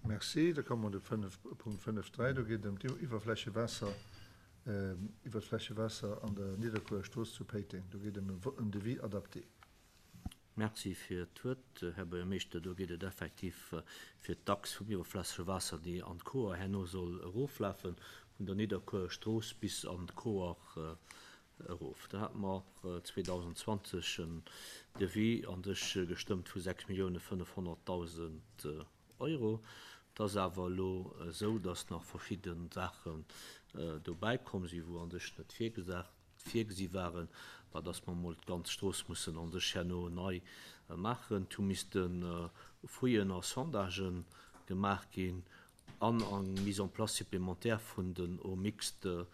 Merci. Da komme mer de 5, Punkt 5.3. Do geet et ëm d'Iwwerflächewaasser, iwwert d'Flächewaasser an der Nidderkuerer Strooss zu Péiteng. Do geet et ëm en Devis adapté. Merci fir d'Wuert, Här Buergermeeschter. Do geet et effektiv fir d'Achs vum iwwerflessege Waasser, déi an d'Koer herno soll eroflafen, vun der Nidderkuerer Strooss bis an d'Koer erof. Do hate mer 2020 en Devis an sech gestëmmt vu 6.500.000 Euro. Et ass awer elo esou, dass nach verschidde Saachen dobäi komm sinn, wou an sech net virgesi waren, war, dass mer emol d'ganz Strooss mussen an sech herno nei maachen. Et hu misste Fouillen a Sondagë gemaach ginn an eng Mise en place supplémentaire vun den Eaux mixtes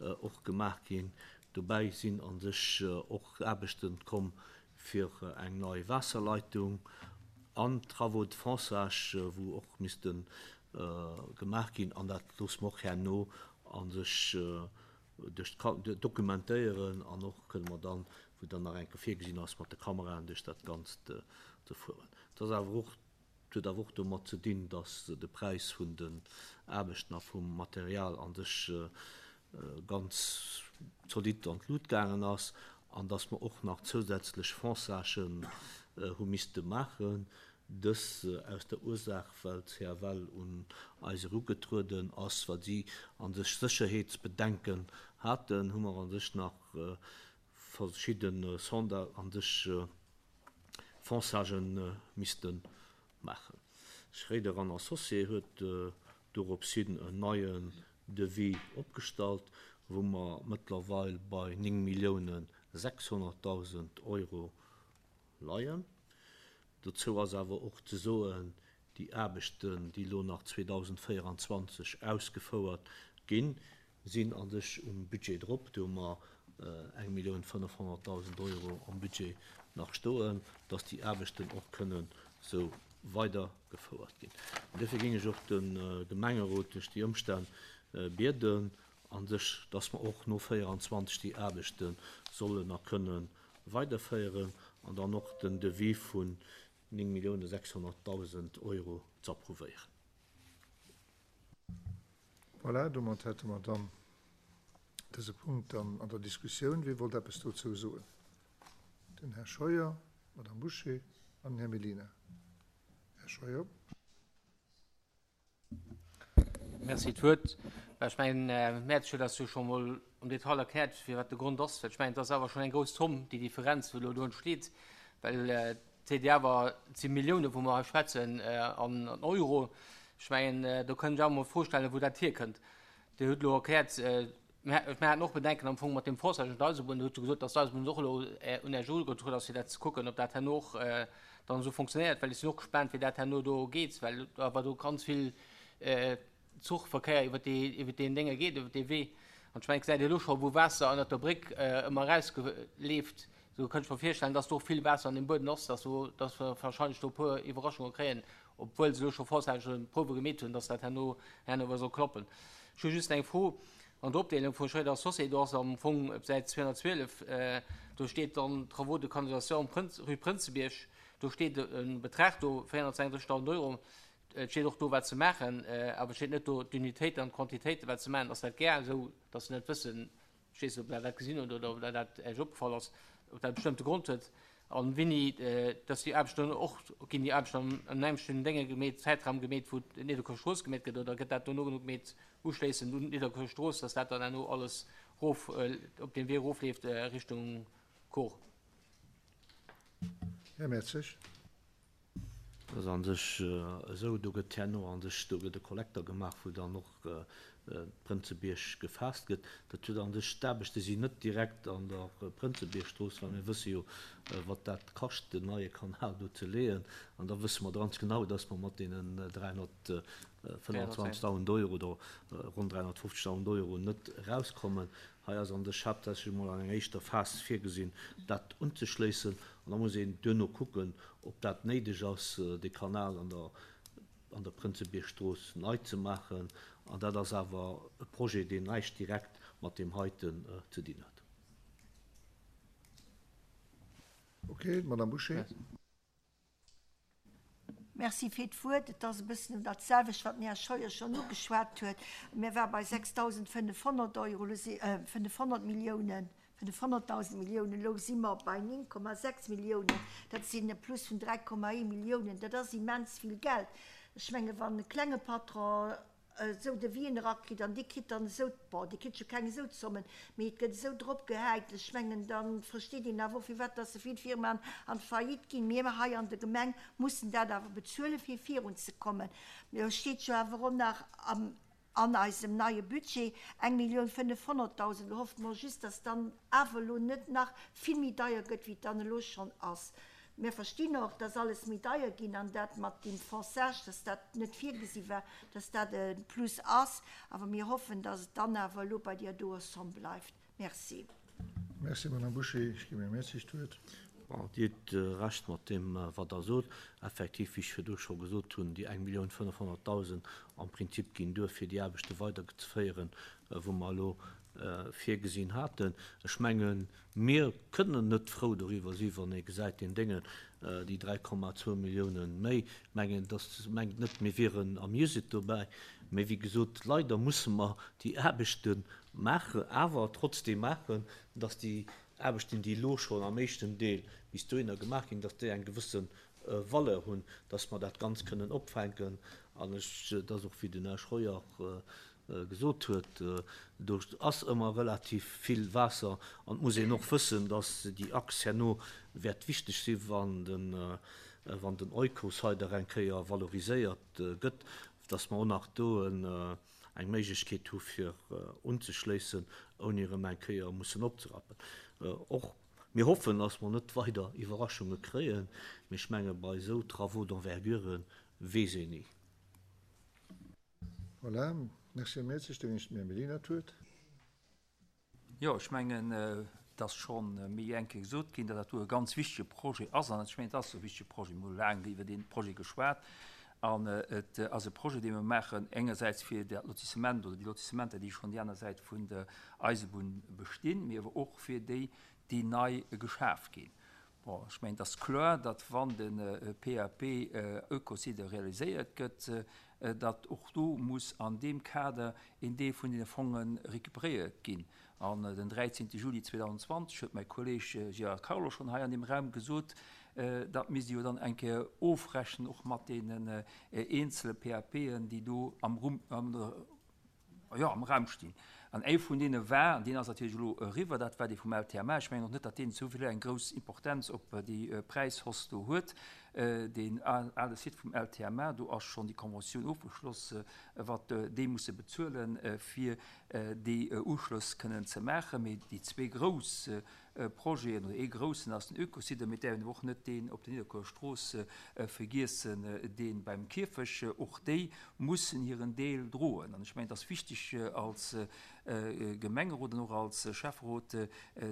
och gemaach ginn. Dobäi sinn a sech och Aarbechte komm fir eng nei Waasserleitung an Travaux de fonçage, wou och misste gemaach ginn. An dat loosse mer och herno a sech duerch dokumentéieren an och kënne mer dann, wou dann nach eng Kéier virgesinn ass, mat de Kameraen duerch dat Ganzt ze fueren. Et ass awer och Et huet awer och domat ze dinn, datt de Präis vun den Aarbechten a vum Material a sech ganz zolidd an d'Lut gaangen ass an datt mer och nach zousätzlech Fonçagen hu misste maachen. Dës aus der Ursaach, well d'CFL un eis erugetrueden ass, well si a sech Sécherheetsbedenken haten, hu mer a sech nach verschidde Sonda a sech Fonçagen misste maachen. Schréider an Associés huet dorops hin en neien Devis opgestallt, wou mer mëttlerweil bei 9.600.000 Euro leien. Dozou ass awer och ze soen, déi Aarbechten, déi elo nach 2024 ausgefouert ginn, sinn a sech um Budget drop. Do hu mer 1.500.000 Euro am Budget nach stoen, dass déi Aarbechten och kënnen esou weidergefouert ginn. An duerfir géing ech och de Gemengerot duerch déi Ëmstänn bieden, a sech, dass mer och no 24 déi Aarbechte sollen a kënne weiderféieren an dann och den Devis vun 9.600.000 Euro ze approuvéieren. Voilà, domat hätte mer dann dëse Punkt dann an der Diskussioun. Wie wollt eppes dozou soen? Den Här Scheuer, d'Madame Bouché an den Här Mellina. Här Scheuer. Merci d'Wuert. Ech mengen, Här Mertz huet eis jo scho mol am Detail erkläert, firwat de Grond ass. Well ech mengen, et ass awer schonn eng grouss Zomm, déi Differenz, wou elo do entsteet, well et seet Dir awer, et si Milliounen, wou mer hei schwätzen, an Euro. Ech mengen, do kënnt ech awer mol d'Fro stellen, wou dat hierkënnt. Dir hutt elo erkläert, mir haten och Bedenken am Fong mat deem Forçage un d'Eisebunn. Dir hutt jo gesot, datt d'Eisebunn och elo un Iech erugetrueden ass, fir dat ze kucken, ob dat herno och dann esou fonctionnéiert. Well ech sinn och gespaant, wéi dat herno do geet, well awer do ganz vill Zuchverkéier iwwer déi, iwwer deen Dénge geet, iwwer dee Wee. An ech mengen, et gesäit ee elo scho wou Waasser ënnert der Bréck ëmmer erausleeft. Esou kënnt ech mer virstellen, datt do och vill Waasser an deem Buedem ass, datt do, datt mer wahrscheinlech do e puer Iwwerraschunge kréien, obwuel se elo scho vorzäiteg Prouwe gemeet hunn, datt dat herno, herno awer soll klappen. Ech hu just eng Fro an der Opdeelung vu Schréider Associés, do ass am Fong op Säit 212, do steet dann Travaux de canalisation Prënz, rue Prënzebierg, do steet e Betrag do, 436.000 Euro. Et steet och do, wat se maachen, awer et steet net do d'Unitéiten an d'Quantitéiten, wat se maachen. Ass dat gär esou, datt se net wëssen, ech weess net, ob Der dat gesinn hutt oder ob der dat Iech opgefall ass, ob dat e bestëmmte Grond huet an wéini datt déi Aarbechten och, ginn déi Aarbechten am am nämmlechten Dénge gemeet, Zäitraum gemeet, wou d'Nidderkuer Strooss gemeet gëtt, oder gëtt dat dono genuch gemeet, uschléissend un d'Nidderkuer Strooss, datt dat dann herno alles erof, op deem Wee erofleeft Richtung Kor? Här Mertzig. Dat ass a sech esou, do gëtt herno a sech, do gëtt e Kollekter gemaach, wou dann och d'Prënzebierg gefaasst gëtt. Dat huet a sech, d'Aarbechte sinn net direkt an der Prënzebiergstrooss, well mir wësse jo, wat dat kascht, den neie Kanal do ze leeën. An da wësse mer ganz genau, dass mer mat deenen 325.000 Euro oder ronn 350.000 Euro net erauskommen. Hei ass an sech haaptsächlech emol an enger éischter Phas virgesinn, dat unzeschléissen. An da muss een duerno kucken, ob dat néideg ass, dee Kanal an der an der Prënzebiergstrooss nei ze maachen. An dat ass awer e Projet, deen näischt direkt mat deem heiten ze dinn huet. Okay, d'Madame Bouché. Merci fir d'Wuert. Et ass e bëssen dat selwecht, wat den Här Scheuer schonn ugeschwat huet. Mir ware bei 6.500 Euro, elo si 500 Milliounen, 500.000 Milliounen, elo si mer bei 9,6 Milliounen. Dat sinn e Plus vun 3,1 Milliounen. Dat ass immens vill Geld. Ech menge wann e klenge Patron esou Devisen erakritt an dee kritt dann esou, bon, dee kritt jo keng esou Zommen, mee et gëtt esou drop gehäit, ech mengen, da versteet een awer och, firwat dass esou vill Firmaen an d'Faillite ginn. Mir hei an der Gemeng mussen dat awer bezuelen, fir virunzekommen. Lo steet jo awer och nach am, an eisem neie Budget eng Millioun 500.000. Lo hoffe mer just, dass dann awer elo net nach vill méi deier gëtt, wéi et dann elo schonn ass. Mir verstinn och, dass alles méi deier ginn an dat mat deem Fonçage, dass dat net virgesi war, dass dat e Plus ass. Awer mir hoffen, dass et dann awer elo bei deer doer Somme bleift. Merci. Merci, Madame Bouché. Ech ginn Här Mertzig d'Wuert. Bon, Dir hutt Recht mat deem, wat Der sot. Effektiv, wéi ech virdu scho gesot hunn, déi 1.500.000 am Prinzip ginn duer, fir déi Aarbechte weiderzeféieren, wou mer elo virgesinn haten. Ech mengen, mir kënnen net frou doriwwer sinn, wann ee gesäit, deen Déngen, déi 3,2 Milliounen méi. Ech mengen, dass mengt net, mir wieren amused dobäi. Mee wéi gesot, leider musse mer déi Aarbechte maachen, awer trotzdeem maachen, dass déi Aarbechten, déi elo schonn am éischten Deel bis dohinner gemaach ginn, dass déi eng gewësse Valeur hunn, dass mer dat Ganzt kënnen opfänken. An ech, et ass och, wéi den Här Scheuer gesot huet, do ass ëmmer relativ vill Waasser an et muss een och wëssen, dass déi Achs herno wäert wichteg sinn, wann den, wann den Oikos-Heider eng Kéier valoriséiert gëtt, dass mer och nach do eng Méiglechkeet hu fir unzeschléissen, ouni erëm eng Kéier mussen opzerappen. Och mir hoffen, dass mer net weider Iwwerraschunge kréien, mee ech menge bei esou Travaux d'envergure weess een ni. Voilà, merci Här Mertzig. Da ginn ech dem Här Mellina d'Wuert. Jo, ech mengen, et ass scho méi eng Kéier gesot ginn, datt dat do e ganz wichtege Projet ass. An ech mengen, et ass e wichtege Projet. Mir hu laang iwwer dee Projet geschwat. An et ass e Projet, dee mir maachen, engersäits fir dat Lotissement oder déi Lotissementer, déi schonn déi aner Säit vun der Eisebunn bestinn, mee awer och fir déi, déi nei geschaf ginn. Bon, ech mengen, et ass kloer, datt wann de PAP Eucosider realiséiert gëtt, datt och do muss an deem Kader een Deel vun deene Fonge recuperéiert ginn. An den 13. Juli 2020 huet mäi Kolleeg Gérard Carlo schonn hei an deem Raum gesot, dat misst ee jo dann eng Kéier ofrechnen och mat deenen eenzele PAPen, déi do am jo, am Raum stinn. An ee vun deene war, an deen ass natierlech elo eriwwer, dat war dee vum LTMA. Ech mengen och net, datt deen esou vill eng grouss Importenz op déi Präishausse do huet. Deen ale Site vum LTMA, do ass schonn déi Conventioun ofgeschloss, wat déi musse bezuelen, fir déi Uschlëss kënnen ze maachen. Mee déi zwee grouss Projeten, oder ee groussen ass den Oekosite, mee däerf een awer och net deen op der Nidderkuerer Strooss vergiessen, dee beim Kierfech. Och déi mussen hiren Deel droen. An ech mengen, et ass wichteg als Gemengerot an och als Schäfferot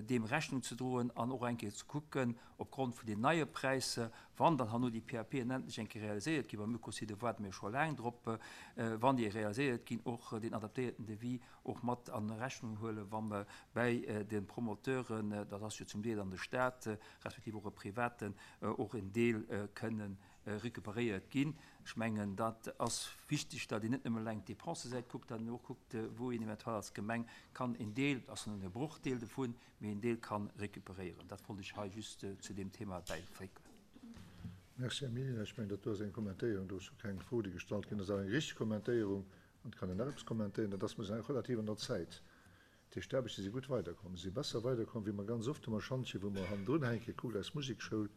deem Rechnung ze droen an och eng Kéier ze kucken, opgrond vun den neie Präisser, wann dann herno déi PAPen endlech eng Kéier realiséiert ginn, beim Oekosite waarde mir scho laang drop, wann déi realiséiert ginn, och deen adaptéierten Devis och mat a Rechnung huelen, wa mer bäi de Promoteuren, dat ass jo zum Deel an de Stat, respektiv och e Privaten, och en Deel kënne recuperéiert ginn. Ech mengen, dat ass wichteg, datt een net nëmme eleng d'Dépensesäit kuckt, datt een och kuckt, wou een eventuell als Gemeng kann en Deel, dat ass nëmmen e Brochdeel dovun, mee en Deel ka recuperéieren. Dat wollt ech hei just zu deem Thema bäiféigen. Merci, Här Mehlen. Ech mengen, dat do ass eng Kommentéierung, do ass jo keng Fro, déi gestallt ginn ass, awer eng richteg Kommentéierung. An et kann een nach eppes kommentéieren, dat ass, mer sinn relativ an der Zäit. Dat heescht, d'Aarbechte si gutt weiderkomm. Se si besser weiderkomm, wéi mer ganz oft hu mer Schantje, wou mer hannendrun hänken, kuckt eis Musekschoul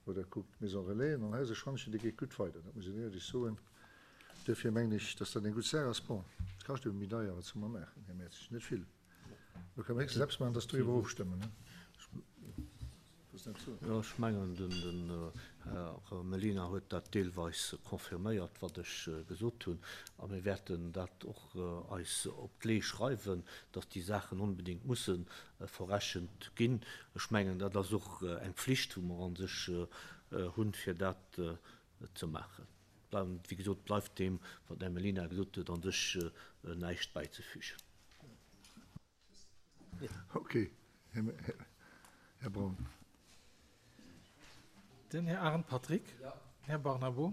oder kuckt d'Maison Relais. An hei ass e Schantjen, dee geet gutt weider, dat muss een éierlech soen. Duerfir mengen ech, dass dat eng gutt Saach ass. Bon, et kascht ebe méi deier, wat soll mer maachen, Här Mertzig? Net vill. Lo kënne mer héchstens eppes maachen, dass doriwwer ofstëmmen. Jo, ech mengen, den Här Mellina huet dat deelweis confirméiert, wat ech gesot hunn. A mir wäerten dat och eis op d'Lee schreiwen, dass déi Saachen onbedéngt musse verrechent ginn. Ech mengen, dat ass och eng Pflicht, wou mer a sech hunn, fir dat ze maachen. Wéi gesot, bleift deem, wat den Här Mellina gesot huet, a sech näischt bäizefügen. Ok, Här Braun. Den Här Arendt Patrick. Den Här Barnabo.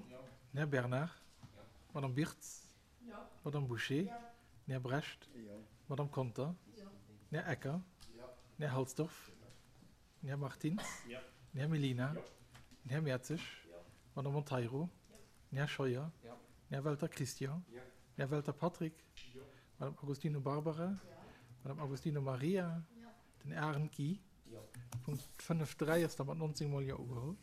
Den Här Bernard. D'Madame Birtz. D'Madame Bouché. Den Här Brecht. D'Madame Conter. Den Här Ecker. Den Här Halsdorf. Den Här Martins. Den Här Mellina. Den Här Mertzig. D'Madame Monteiro. Den Här Scheuer. Den Här Welter Christian. Den Här Welter Patrick. D'Madame Agostino Barbara. D'Madame Agostino Maria. Den Arendt Guy. Punkt 5, 3 ass da mat 19 mol Jo ugeholl.